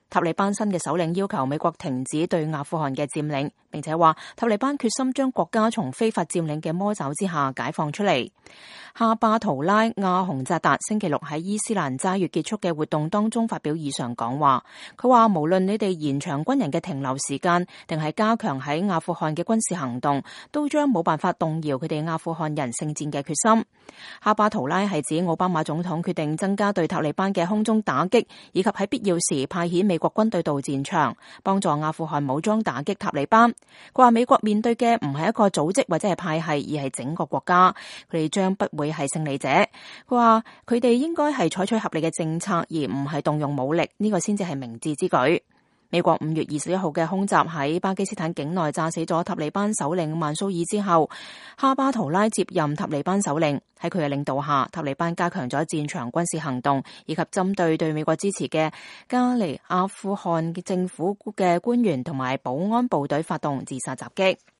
塔利班新嘅首領要求美國停止對阿富汗嘅佔領，並且話塔利班決心將國家從非法佔領嘅魔爪之下解放出嚟。哈巴圖拉亞洪扎達星期六喺伊斯蘭齋月結束嘅活動當中發表以上講話，佢話無論你哋延長軍人嘅停留時間，定係加強喺阿富汗嘅軍事行動，都將冇辦法動搖佢哋阿富汗人聖戰嘅決心。哈巴圖拉係指奧巴馬總統決定增加對塔利班嘅空中打擊，以及喺必要時派遣美國軍隊到戰場，幫助阿富汗武裝打擊塔利班。佢話美國面對嘅唔係一個組織或者係派系，而係整個國家，佢哋將不會係勝利者。佢話佢哋應該係採取合理嘅政策，而唔係動用武力，呢個先至係明智之舉。美國5月21號嘅空襲喺巴基斯坦境內炸死咗塔利班首領曼蘇爾之後，哈巴圖拉接任塔利班首領。喺佢嘅領導下，塔利班加強咗戰場軍事行動，以及針對美國支持嘅加尼阿富汗政府嘅官員同埋保安部隊發動自殺襲擊。